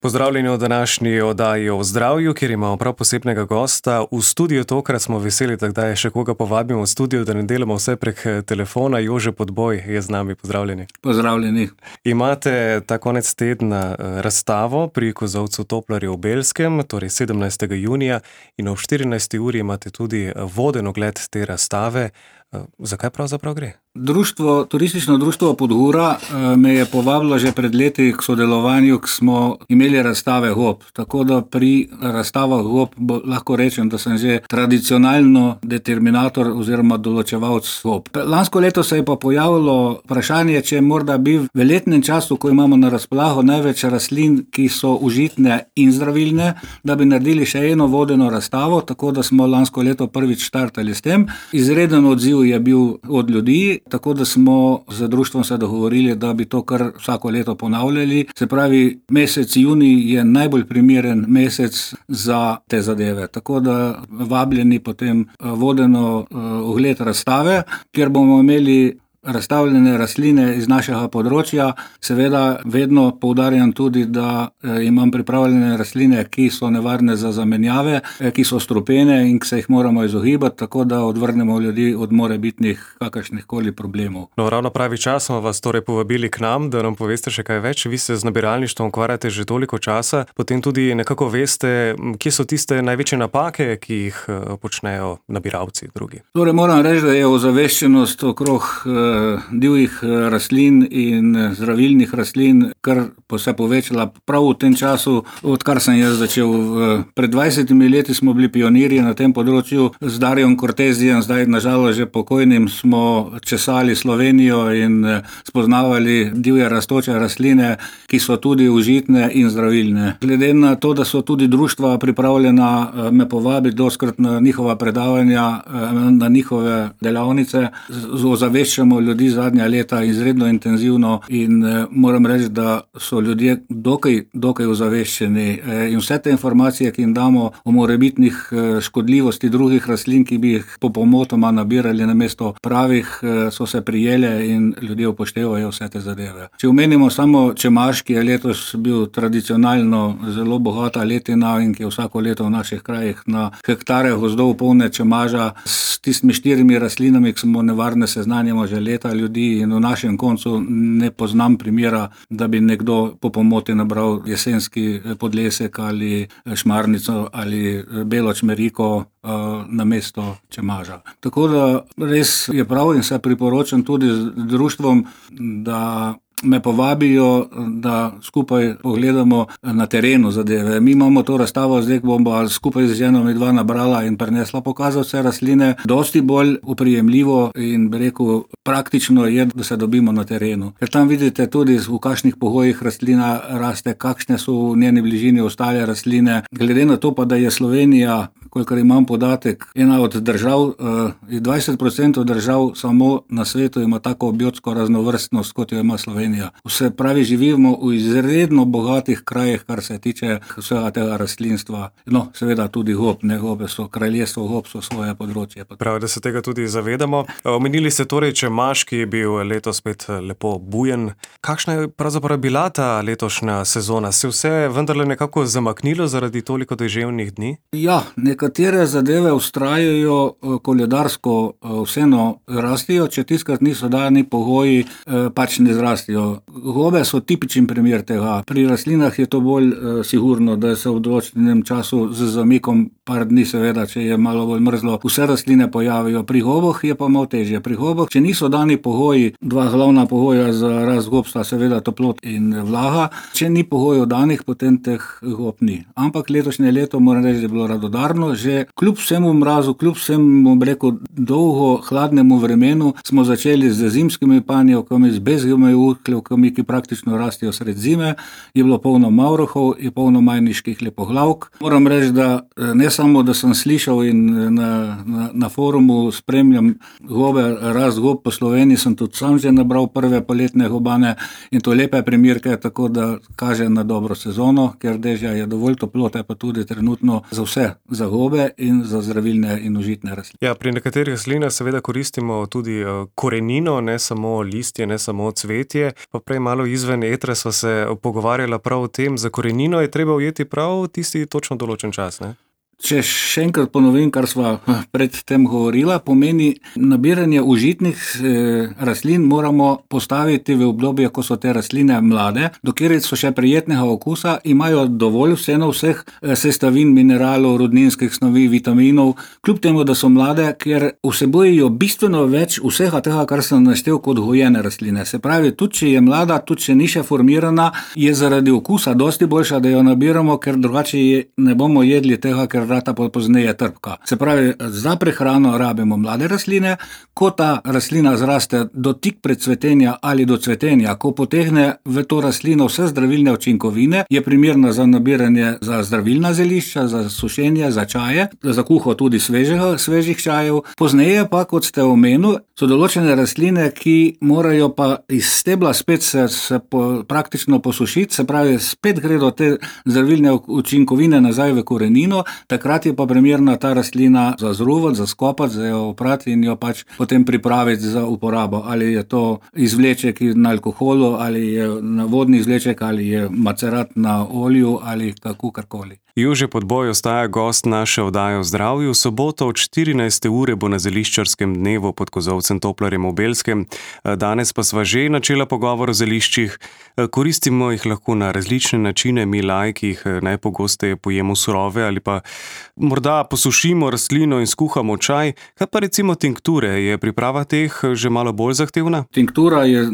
Pozdravljeni v današnji oddaji o zdravju, kjer imamo prav posebnega gosta. V studiu tokrat smo veseli, da je še koga povabimo v studio, da ne delamo vse prek telefona. Jože Podboj je z nami. Pozdravljeni. Pozdravljeni. Imate ta konec tedna razstavo pri kozolcu Toplarju v Belskem, torej 17. junija, in ob 14. uri imate tudi voden ogled te razstave. Zakaj pravzaprav gre? Turistično društvo Podgora me je povabilo že pred leti k sodelovanju, ko smo imeli razstave gob. Tako da pri razstavah gob lahko rečem, da sem že tradicionalno determinator oziroma določevalc gob. Lansko leto se je pa pojavilo vprašanje, če morda bi v letnem času, ko imamo na razpolago največ rastlin, ki so užitne in zdravilne, da bi naredili še eno vodeno razstavo, tako da smo lansko leto prvič štartali s tem. Izreden odziv je bil od ljudi, tako da smo z društvom se dogovorili, da bi to kar vsako leto ponavljali. Se pravi, mesec junij je najbolj primeren mesec za te zadeve. Tako da vabljeni potem vodeno ogled razstave, kjer bomo imeli razstavljene rastline iz našega področja. Seveda vedno poudarjam tudi, da imam pripravljene rastline, ki so nevarne za zamenjave, ki so strupene in ki se jih moramo izogibati, tako da odvrnemo ljudi od morebitnih kakršnihkoli problemov. No, ravno pravi čas smo vas torej povabili k nam, da nam poveste še kaj več. Vi se z nabiralništvom ukvarjate že toliko časa, potem tudi nekako veste, kje so tiste največje napake, ki jih počnejo nabiralci drugi. Torej moram reči, da je ozaveščenost okrog divjih rastlin in zdravilnih rastlin kar se povečala prav v tem času, odkar sem jaz začel. Pred 20 leti smo bili pionirji na tem področju. Z Darjem Kortezijem, zdaj nažalost že pokojnim, smo česali Slovenijo in spoznavali divje rastoče rastline, ki so tudi užitne in zdravilne. Glede na to, da so tudi društva pripravljena me povabiti dostikrat na njihova predavanja, na njihove delavnice, ozaveščamo ljudi zadnja leta izredno intenzivno in moram reči, da so ljudje dokaj ozaveščeni in vse te informacije, ki jim damo o morebitnih škodljivosti drugih rastlin, ki bi jih popolnoma nabirali namesto pravih, so se prijele in ljudje upoštevajo vse te zadeve. Če omenimo samo čemaž, ki je letos bil tradicionalno zelo bogata letina in ki je vsako leto v naših krajih na hektare gozdov polne čemaža, s tistimi 4 rastlinami, ki smo nevarne, seznanjamo že leta ljudi in v našem koncu ne poznam primera, da bi nekdo po pomoti nabral jesenski podlesek ali šmarnico ali belo čmeriko namesto čemaža. Tako da res je prav in se priporočam tudi z društvom, da me povabijo, da skupaj pogledamo na terenu zadeve. Mi imamo to razstavo, zdaj bomo skupaj z ženo midva nabrala in prenesla pokazati vse rastline. Dosti bolj oprijemljivo in rekel, praktično je, da se dobimo na terenu. Ker tam vidite tudi, v kakšnih pogojih rastlina raste, kakšne so v njeni bližini ostale rastline. Glede na to pa, da je Slovenija, kolikor imam podatek, ena od držav, 20% držav samo na svetu ima tako biotsko raznovrstnost, kot jo ima Slovenija. Vse pravi, živimo v izredno bogatih krajih, kar se tiče vsega tega rastlinstva. No, seveda tudi gob, ne gobe so kraljestvo, gob so svoje področje. Prav, da se tega tudi zavedamo. Omenili ste torej čemaž, ki je bil letos spet lepo bujen. Kakšna je pravzaprav bila ta letošnja sezona? Se vse vendarle nekako zamaknilo zaradi toliko deževnih dni? Ja, nekatere zadeve vztrajajo koledarsko, vseeno rastijo, če tiskrat niso dani pogoji, pač ne zrastijo. Gobe so tipičen primer tega. Pri rastlinah je to bolj sigurno, da se v določenem času z zamikom par dni, seveda, če je malo bolj mrzlo, vse rastline pojavijo. Pri goboh je pa malo težje. Pri goboh, če niso dani pogoji, 2 glavna pogoja za rast gob sta seveda toplot in vlaga. Če ni pogojev danih, potem teh gob ni. Ampak letošnje leto, moram reči, da je bilo radodarno. Že kljub vsemu mrazu, kljub vsemu, dolgo hladnemu vremenu, smo začeli z zimskimi panjevkami, z bezgimi uhlevkami, ki praktično rastijo sred zime. Je bilo polno mavrohov, je polno majniških lepoglavk. Moram reči, da ne samo, da sem slišal in na forumu spremljam rast gob po Sloveniji, sem tudi sam že nabral prve poletne gobane in to lepe primerke, tako da kaže na dobro sezono, ker dežja je dovolj toplote, pa tudi trenutno za vse, za gobe in za zdravilne in užitne rastline. Ja, pri nekaterih rastlinah seveda koristimo tudi korenino, ne samo listje, ne samo cvetje. Pa prej malo izven etra sva se pogovarjala prav o tem, za korenino je treba ujeti prav tisti točno določen čas, ne? Če še enkrat ponovim, kar sva predtem govorila, pomeni nabiranje užitnih rastlin moramo postaviti v obdobje, ko so te rastline mlade, dokler so še prijetnega okusa, imajo dovolj vseeno vseh sestavin, mineralov, rudninskih snovi, vitaminov, kljub temu, da so mlade, ker vsebujejo bistveno več vsega tega, kar sem naštel kot gojene rastline. Se pravi, tudi če je mlada, tudi če ni še formirana, je zaradi okusa dosti boljša, da jo nabiramo, ker drugače ne bomo jedli tega, ker rata pozneje trpka. Se pravi, za prehrano rabimo mlade rastline, ko ta rastlina zraste do tik pred cvetenja ali do cvetenja, ko potegne v to rastlino vse zdravilne učinkovine, je primerna za nabiranje za zdravilna zelišča, za sušenje, za čaje, za kuho tudi svežih čajev. Pozneje pa, kot ste omenili, so določene rastline, ki morajo pa iz stebla spet se praktično posušiti, se pravi, spet gre do te zdravilne učinkovine nazaj v korenino, takrat je pa primerna ta rastlina za zruvati, za skopati, za jo oprati in jo pač potem pripraviti za uporabo. Ali je to izvleček na alkoholu, ali je na vodni izvleček, ali je macerat na olju, ali kakorkoli. Jože Podboj ostaja gost naše oddaje o zdravju. V soboto od 14. ure bo na zeliščarskem dnevu pod Kozolcem Toplarjem v Belskem. Danes pa sva že načela pogovor o zeliščih. Koristimo jih lahko na različne načine, mi laiki jih najpogosteje pojemo surove ali pa morda posušimo rastlino in skuhamo čaj. Kaj pa recimo tinkture? Je priprava teh že malo bolj zahtevna? Tinktura je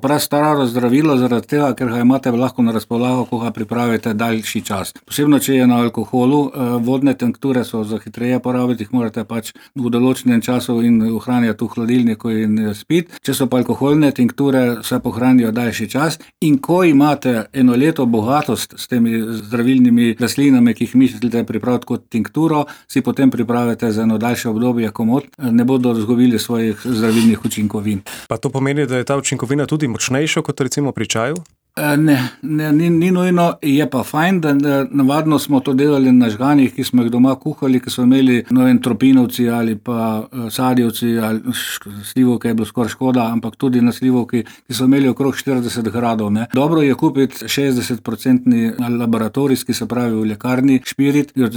prastaro zdravilo zaradi tega, ker ga imate lahko na razpolago, ko ga pripravite daljši čas. Posebno, če je na alkoholu, vodne tinkture so za hitreje porabiti, jih morate pač v določenem času in ohranjati v hladilniku in spiti. Če so pa alkoholne tinkture, se pohranijo daljši čas in ko imate eno leto bogatost s temi zdravilnimi rastlinami, ki jih mislite pripraviti kot tinkturo, si potem pripravite za eno daljše obdobje komot, ne bodo izgubili svojih zdravilnih učinkovin. Pa to pomeni, da je ta učinkovina tudi močnejša kot recimo pri čaju? Ni nujno, je pa fajn, da navadno smo to delali na žganjih, ki smo jih doma kuhali, ki so imeli tropinovci ali pa sadjevci ali slivovke je bilo skoraj škoda, ampak tudi na slivovki, ki so imeli okrog 40 gradov. Ne. Dobro je kupiti 60% laboratorijski, se pravi v lekarni špirit, ker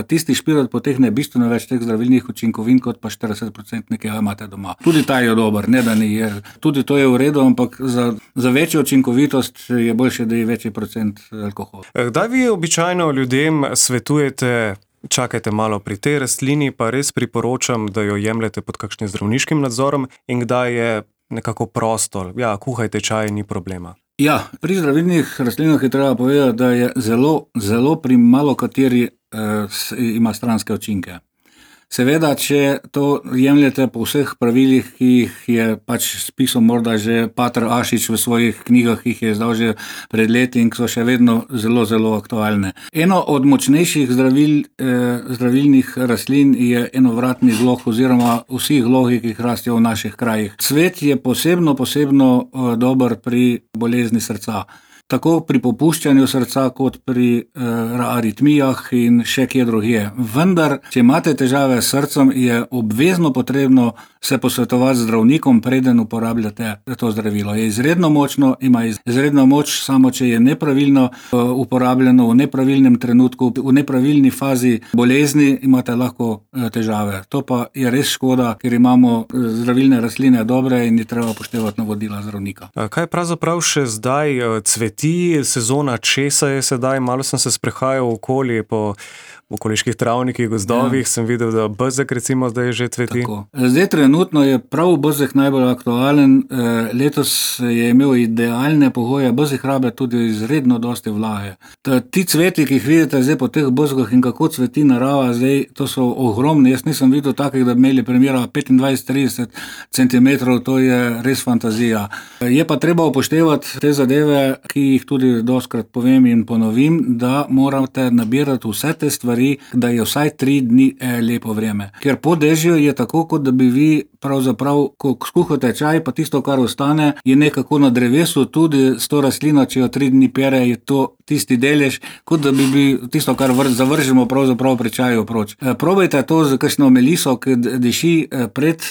tisti špirit potehne bistveno več teh zdravilnih učinkovin, kot pa 40%, ki ga imate doma. Tudi ta je dober, ne da ni. Tudi to je v redu, ampak za večjo učinkovitost je boljše, da je večji procent alkohola. Kdaj vi običajno ljudem svetujete, čakajte malo pri tej rastlini, pa res priporočam, da jo jemljete pod kakšnim zdravniškim nadzorom in kdaj je nekako prosto, kuhajte čaj, ni problema? Ja, pri zdravilnih rastlinah je treba povedati, da je zelo pri malo kateri ima stranske učinke. Seveda, če to jemljete po vseh pravilih, ki jih je pač spisal morda že Pater Ašič v svojih knjigah, ki jih je izdal že pred leti in ki so še vedno zelo, zelo aktualne. Eno od močnejših zdravilnih rastlin je enovratni glog oziroma vsi glogi, ki jih rastijo v naših krajih. Cvet je posebno dober pri bolezni srca. Tako pri popuščanju srca, kot pri aritmijah in še kje drugje. Vendar, če imate težave s srcem, je obvezno potrebno se posvetovati z zdravnikom, preden uporabljate to zdravilo. Je izredno močno, ima izredno moč, samo če je nepravilno uporabljeno v nepravilnem trenutku, v nepravilni fazi bolezni, imate lahko težave. To pa je res škoda, ker imamo zdravilne rastline dobre in je treba upoštevati navodila zdravnika. Kaj pravzaprav še zdaj cveti? Sezona česa je sedaj, malo sem se sprehajal okoli po okoliških travnikih, gozdovih, sem videl, da bezeg recimo zdaj že cveti. Tako. Zdaj trenutno je prav bezeg najbolj aktualen, letos je imel idealne pogoje, bezeg rabe tudi izredno dosti vlage. Ti cveti, ki jih vidite zdaj po teh bezgah in kako cveti narava, zdaj to so ogromni, jaz nisem videl takih, da bi imeli primera 25-30 cm, to je res fantazija. Je pa treba upoštevati te zadeve, ki jih tudi dostkrat povem in ponovim, da morate nabirati vse te stvari stvari, da je vsaj 3 dni lepo vreme. Ker po dežju je tako, kot da bi vi pravzaprav, ko skuhate čaj, pa tisto, kar ostane, je nekako na drevesu, tudi s to rastlino, če jo 3 dni pere, je to tisti delež, kot da bi tisto, kar zavržemo pravzaprav pri čaju proč. Probajte to z kakšno meliso, ki diši pred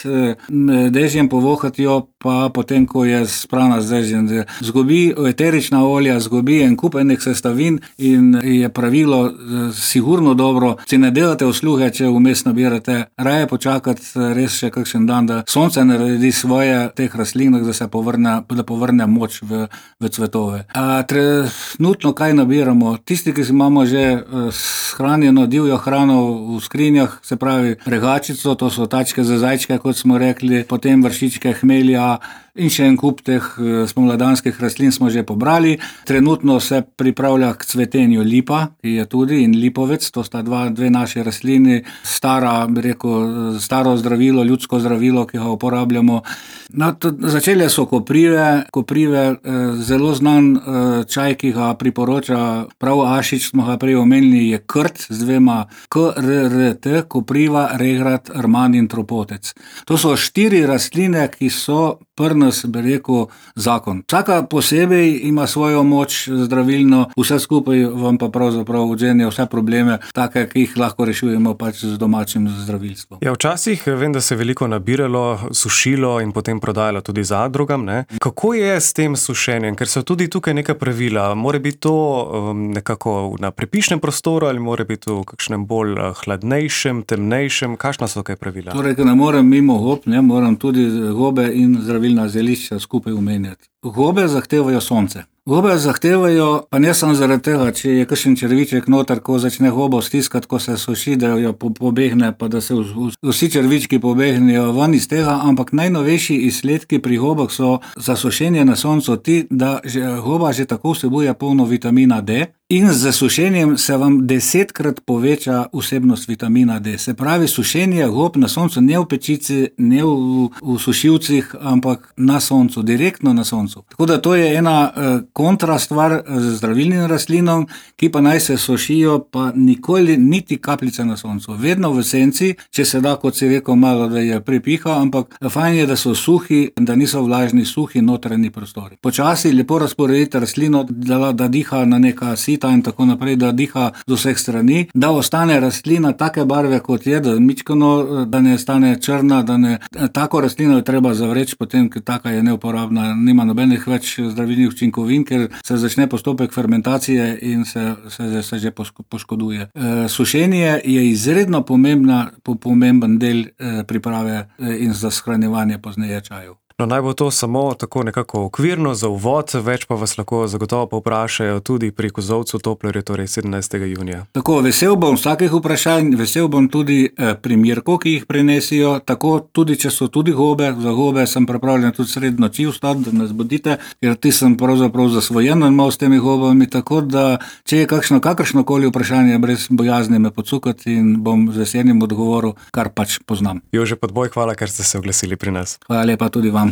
dežjem, povohati jo, pa potem, ko je sprana z dežjem. Zgubi eterična olja, zgubi en kup enih sestavin in je pravilo sigurno dobro. Si ne delate usluge, če vmes nabirate, raje počakati res še kakšen dan, da sonce naredi svoje teh rastlinah, da povrne moč v cvetove. Trenutno kaj nabiramo? Tisti, ki imamo že shranjeno divjo hrano v skrinjah, se pravi regačico, to so tačke za zajčke, kot smo rekli, potem vršičke, hmelja in še en kup teh spomladanskih rastlin smo že pobrali. Trenutno se pripravlja k cvetenju lipa, ki je tudi, in lipovec, to sta dve naši rastlini, staro zdravilo, ljudsko zdravilo, ki ga uporabljamo. Začele so koprive, zelo znan čaj, ki ga priporoča prav Ašič, smo ga prej omenili, je krt z 2 KRRT, kopriva, regrat, rman in tropotec. To so 4 rastline, ki so nas, zakon. Vsaka posebej ima svojo moč zdravilno, vse skupaj vam pa pravzaprav odžene vse probleme, take, ki jih lahko rešujemo pač z domačim zdravilstvom. Ja, včasih vem, da se je veliko nabiralo, sušilo in potem prodajalo tudi zadrugam, ne? Kako je s tem sušenjem? Ker so tudi tukaj neka pravila. Mora biti to nekako na prepišnem prostoru ali mora biti v kakšnem bolj hladnejšem, temnejšem? Kakšna so kaj pravila? Torej, ne morem mimo gob, moram tudi gobe in zdravilna zelišča skupaj omenjati. Gobe zahtevajo sonce. Gobe zahtevajo, pa ne samo zaradi tega, če je kakšen črviček noter, ko začne gobo stiskati, ko se suši, da jo pobegne, pa da se vsi črvički pobegnejo ven iz tega, ampak najnovejši izsledki pri gobah so za sušenje na soncu ti, da goba že tako vsebuje polno vitamina D in z sušenjem se vam 10-krat poveča vsebnost vitamina D. Se pravi, sušenje gob na soncu, ne v pečici, ne v sušilcih, ampak na soncu, direktno na soncu. Tako da to je ena kontra stvar z zdravilnim rastlinom, ki pa naj se sušijo, pa nikoli niti kapljice na soncu. Vedno v senci, če se da, kot si rekel, malo, da je prepiha, ampak fajn je, da so suhi, da niso vlažni, suhi notranji prostori. Počasi lepo razporedite rastlino, da diha na neka sita in tako naprej, da diha z vseh strani, da ostane rastlina take barve, kot je, da ne stane črna, tako rastlino je treba zavreči, potem, ker taka je neuporabna, nima nobenih več zdravilnih učinkovin, ker se začne postopek fermentacije in se že poškoduje. Sušenje je izredno pomemben del priprave in za shranjevanje pozneje čajev. No, naj bo to samo tako nekako okvirno za uvod, več pa vas lahko zagotovo povprašajo tudi pri kozolcu Toplerju, torej 17. junija. Tako, vesel bom vsakih vprašanj, vesel bom tudi primerkov, ki jih prinesijo, tako tudi, če so tudi gobe, za gobe sem pripravljen tudi sredi noči vstati, da nas budite, ker ti sem pravzaprav zasvojen malo s temi gobami, tako da, če je kakršnokoli vprašanje, brez bojazni me podsukati in bom z veseljem odgovoril, kar pač poznam. Jože Podboj, hvala, ker ste se oglasili pri nas. Hvala lepa tudi vam.